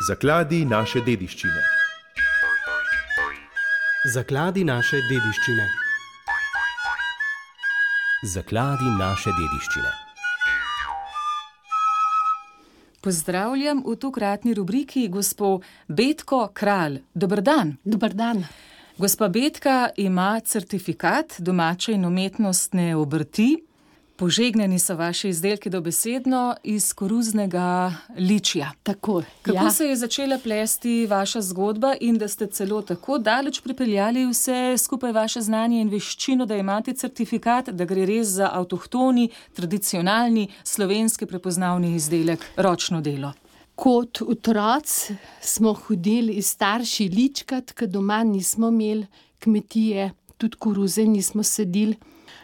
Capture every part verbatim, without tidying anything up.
Zakladi naše dediščine. Zakladi naše dediščine. Zakladi naše dediščine. Pozdravljam v tokratni rubriki gospo Betko Kralj. Dober dan. Dober dan. Gospa Betka ima certifikat domače in umetnostne obrti. Požegnani so vaši izdelki dobesedno iz koruznega ličja. Tako, Kako ja. se je začela plesti vaša zgodba in da ste celo tako daleč pripeljali vse skupaj vaše znanje in veščino, da imate certifikat, da gre res za avtohtoni, tradicionalni, slovenski prepoznavni izdelek, ročno delo? Kot otroci smo hodili iz starši ličkat, ker doma nismo imeli kmetije, tudi koruze nismo sedili.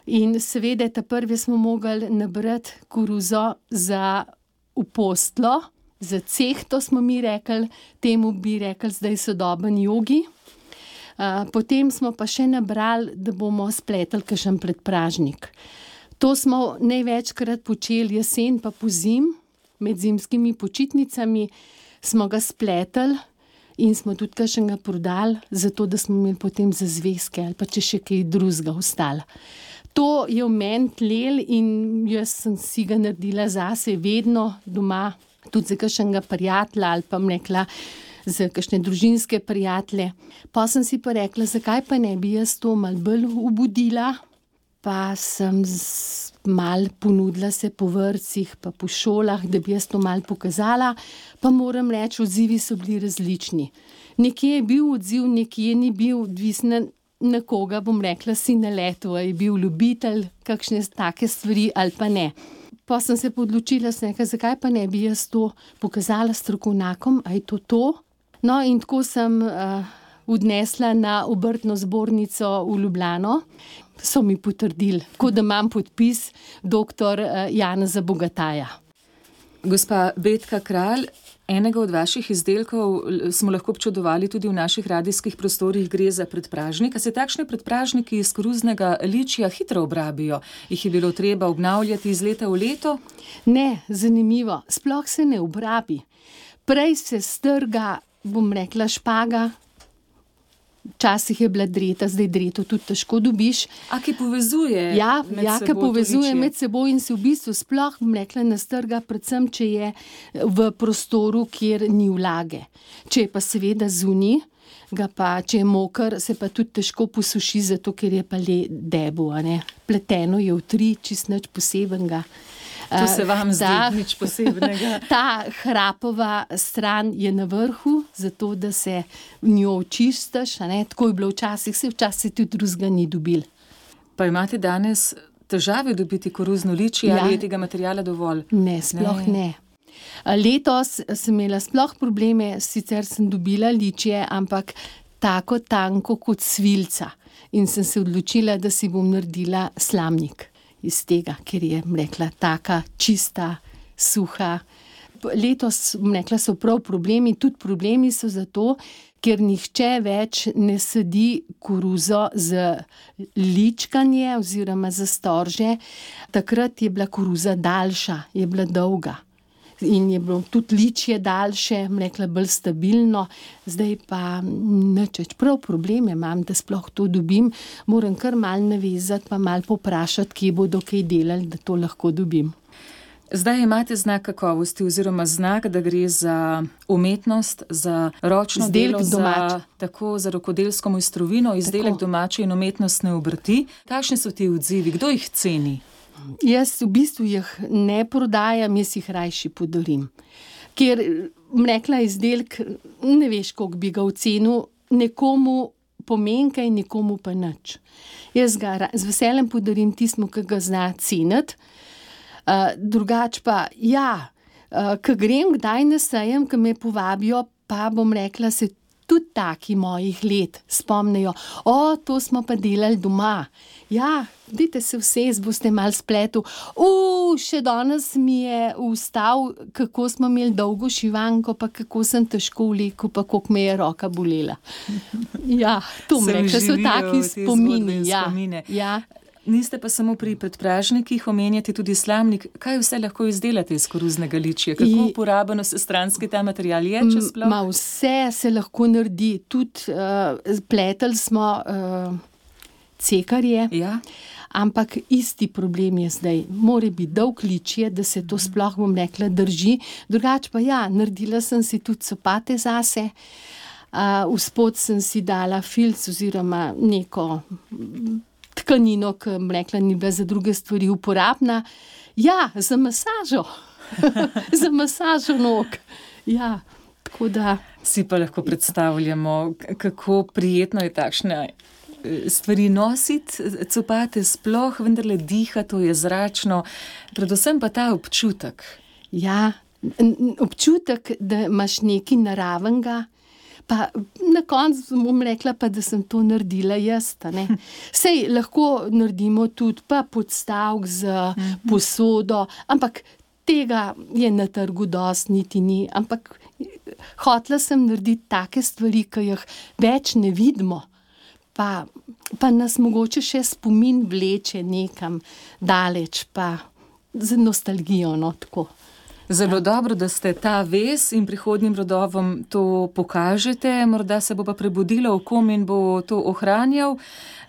In seveda ta prvi smo mogli nabrati koruzo za upostlo, za cehto smo mi rekli, temu bi rekli zdaj sodoben jogi. Uh, potem smo pa še nabrali, da bomo spletli kakšen predpražnik. To smo največkrat počeli jesen pa pozim, med zimskimi počitnicami smo ga spletli in smo tudi kakšnega prodali, zato da smo imeli potem za zvezke ali pa če še kaj drugega ostalo. To je v meni tlel in jaz sem si ga naredila zase vedno doma, tudi za kakšnega prijatelja ali pa rekla za kakšne družinske prijatelje. Pa sem si pa rekla, zakaj pa ne bi jaz to malo bolj obudila, pa sem malo ponudila se po vrtcih pa po šolah, da bi jaz to malo pokazala, pa moram reči, odzivi so bili različni. Nekje je bil odziv, nekje ni bil, odvisno na koga, bom rekla, si naletel, je bil ljubitelj kakšne take stvari ali pa ne. Pa sem se podločila, sem rekla, zakaj pa ne bi jaz to pokazala strokovnjakom, a je to to? No, in tako sem uh, odnesla na obrtno zbornico v Ljubljano, so mi potrdili, kot da imam podpis doktor uh, Janeza Bogataja. Gospa Betka Kralj, enega od vaših izdelkov smo lahko občudovali tudi v naših radijskih prostorih, gre za predpražnik. A se takšni predpražniki iz koruznega ličja hitro obrabijo? Jih je bilo treba obnavljati iz leta v leto? Ne, zanimivo. Sploh se ne obrabi. Prej se strga, bom rekla, špaga. Včasih je bila dreta, zdaj dreto tudi težko dobiš. A ki povezuje ja, med ja, seboj ki povezuje to ličje. med seboj in se v bistvu sploh, bom rekla, nastrga, predvsem, če je v prostoru, kjer ni vlage. Če je pa seveda zunaj, ga pa, če je moker, se pa tudi težko posuši, zato ker je pa le debo, a ne. Pleteno je v tri, čist nič posebenega. To se vam zdi Ta- nič posebnega. Ta hrapova stran je na vrhu, zato da se njo očistiš, a ne. Tako je bilo včasih, se včasih tudi drugega ni dobil. Pa imate danes težave dobiti koruzno ličje, Ja. ali je tega materiala dovolj? Ne, sploh ne. Letos sem imela sploh probleme, sicer sem dobila ličje, ampak tako tanko kot svilca. In sem se odločila, da si bom naredila slamnik iz tega, ker je, bom rekla, taka čista, suha. Letos, bom rekla, so prav problemi, tudi problemi so zato, ker nihče več ne sedi koruzo z ličkanje oziroma za storže. Takrat je bila koruza daljša, je bila dolga. In je bilo tudi ličje daljše, bom rekla, bolj stabilno. Zdaj pa nič več. Prav probleme imam, da sploh to dobim. Moram kar malo navezati, pa malo poprašati, kje bodo kaj delali, da to lahko dobim. Zdaj imate znak kakovosti oziroma znak, da gre za umetnost, za ročno Izdelek delo, domač. za, tako za rokodelsko mojstrovino, izdelek Tako. domače in umetnostne obrti. Kakšni so ti odzivi? Kdo jih ceni? Jaz v bistvu jih ne prodajam, jaz jih rajši podarim. Ker, bom rekla, izdelek, ne veš, koliko bi ga ocenil, nekomu pomenka in nekomu pa nič. Jaz ga ra- z veseljem podarim tistmu, ki ga zna ceniti. Uh, drugač pa, ja, uh, ko grem kdaj na sejem, ko me povabijo, pa bom rekla, se tudi taki mojih let spomnijo, o, to smo pa delali doma. Ja, dajte se vse, boste malo spletu. U, še danes mi je vstal, kako smo imeli dolgo šivanko, pa kako sem težko vlekel, pa koliko me je roka bolela. Ja, to Se mi rekla, so vživijo taki te zgodbe spomini. in Ja, spomine. ja. Niste pa samo pri predpražnikih, omenjate tudi slamnik. Kaj vse lahko izdelate iz koruznega ličija? Kako I- uporabno vsestranski ta material je, če sploh? Ma vse se lahko naredi. Tudi uh, pletli smo uh, cekarje, Ja, ampak isti problem je zdaj. Mora biti dolg ličje, da se to sploh, bom rekla, drži. Drugače pa ja, naredila sem si tudi copate zase. Uh, vspod sem si dala filc oziroma neko tkanino, ki, bom rekla, ni bila za druge stvari uporabna. Ja, za masažo. Za masažo nog. Ja, tako da. si pa lahko predstavljamo, k- kako prijetno je takšne eh, stvari nositi, copate sploh, vendarle diha, to je zračno, predvsem pa ta občutek. Ja, n- n- občutek, da imaš nekaj naravenega, pa na koncu bom rekla, pa, da sem to naredila jaz. a ne. Sej lahko naredimo tudi pa podstavek z posodo, ampak tega je na trgu dosti, niti ni. Ampak hotela sem narediti take stvari, ki jih več ne vidimo, pa, pa nas mogoče še spomin vleče nekam daleč, pa z nostalgijo, no, tako. Zelo dobro, da ste ta vez in prihodnjim rodovom to pokažete, morda se bo pa prebudilo v kom in bo to ohranjal.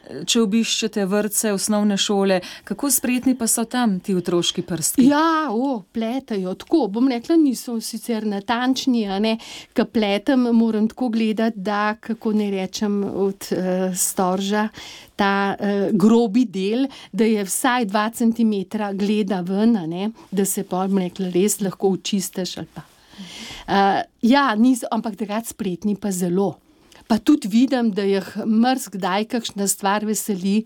Če obiščete vrtce, osnovne šole, kako spretni pa so tam ti otroški prstki? Ja, o, pletajo tako. Bom rekla, niso sicer natančni, a ne. Ko pletem, moram tako gledati, da, kako ne rečem, od uh, storža, ta uh, grobi del, da je vsaj dva centimetra gleda ven, a ne, da se pa, bom rekla, res lahko očistiš ali pa. Uh, ja, niso, ampak takrat spretni pa zelo. Pa tudi vidim, da jih marsikdaj kakšna stvar veseli,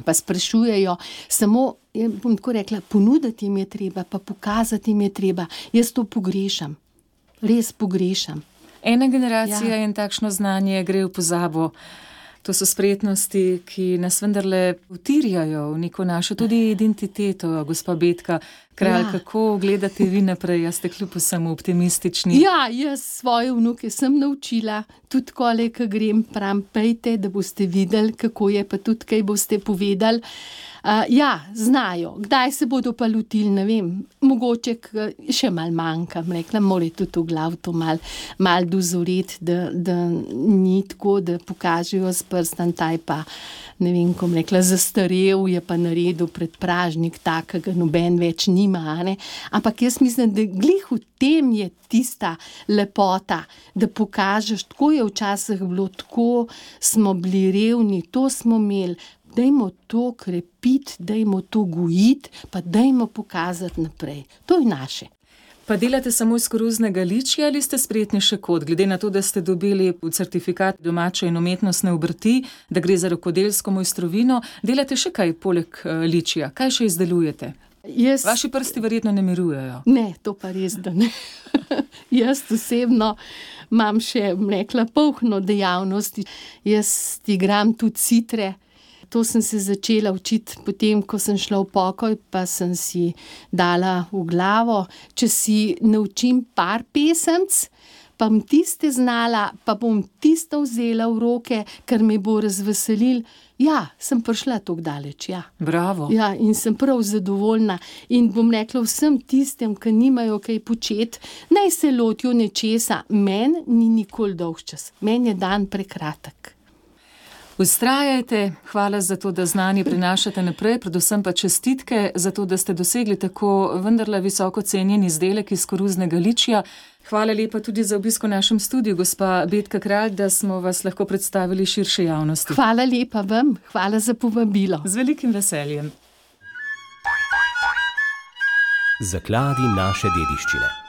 pa sprašujejo, samo, ja, bom tako rekla, ponuditi jim je treba, pa pokazati jim je treba. Jaz to pogrešam, res pogrešam. Ena generacija Ja. in takšno znanje gre v pozabo. To so spretnosti, ki nas vendarle utirjajo v neko našo tudi identiteto, gospa Betka Kralj. Ja. Kako gledate vi naprej, a ste kljub vsemu optimistični? Ja, jaz svoje vnuke sem naučila, tudi kole, ko grem, pram, pejte, da boste videli, kako je, pa tudi kaj boste povedali. Uh, ja, znajo. Kdaj se bodo pa lotili, ne vem, mogoče k, še mal manjka, rekla, mora tudi v glav to mal, mal dozoreti, da, da ni tako, da pokažejo s prstom, taj pa, ne vem, kom rekla, zastarel je pa naredil predpražnik takega, noben več nima, a ne. Ampak jaz mislim, da glih v tem je tista lepota, da pokažeš, tako je včasih bilo, tako smo bili revni, to smo imeli. Dajmo to krepiti, dajmo to gojiti, pa dajmo pokazati naprej. To je naše. Pa delate samo iz koruznega ličja ali ste spretni še kot, glede na to, da ste dobili certifikat domače in umetnostne obrti, da gre za rokodelsko mojstrovino, delate še kaj poleg eh, ličja? Kaj še izdelujete? Jaz, Vaši prsti verjetno ne mirujejo. ne, to pa res, da ne. Jaz osebno imam še, bom rekla, polhno dejavnost. Jaz igram tudi citre. To sem se začela učiti potem, ko sem šla v pokoj, pa sem si dala v glavo. Če si naučim par pesemc, pa bom tiste znala, pa bom tisto vzela v roke, ker me bo razveselil. Ja, sem prišla tako daleč, ja. Bravo. Ja, in sem prav zadovoljna. In bom rekla vsem tistem, ki nimajo kaj početi, naj se lotijo nečesa. Meni ni nikoli dolg čas. Meni je dan prekratek. Vztrajajte, hvala za to, da znanje prinašate naprej, predvsem pa čestitke za to, da ste dosegli tako vendarle visoko cenjen izdelek iz koruznega ličja. Hvala lepa tudi za obisk v našem studiu, gospa Betka Kralj, da smo vas lahko predstavili širše javnosti. Hvala lepa vam, hvala za povabilo. Z velikim veseljem. Zakladi naše dediščine.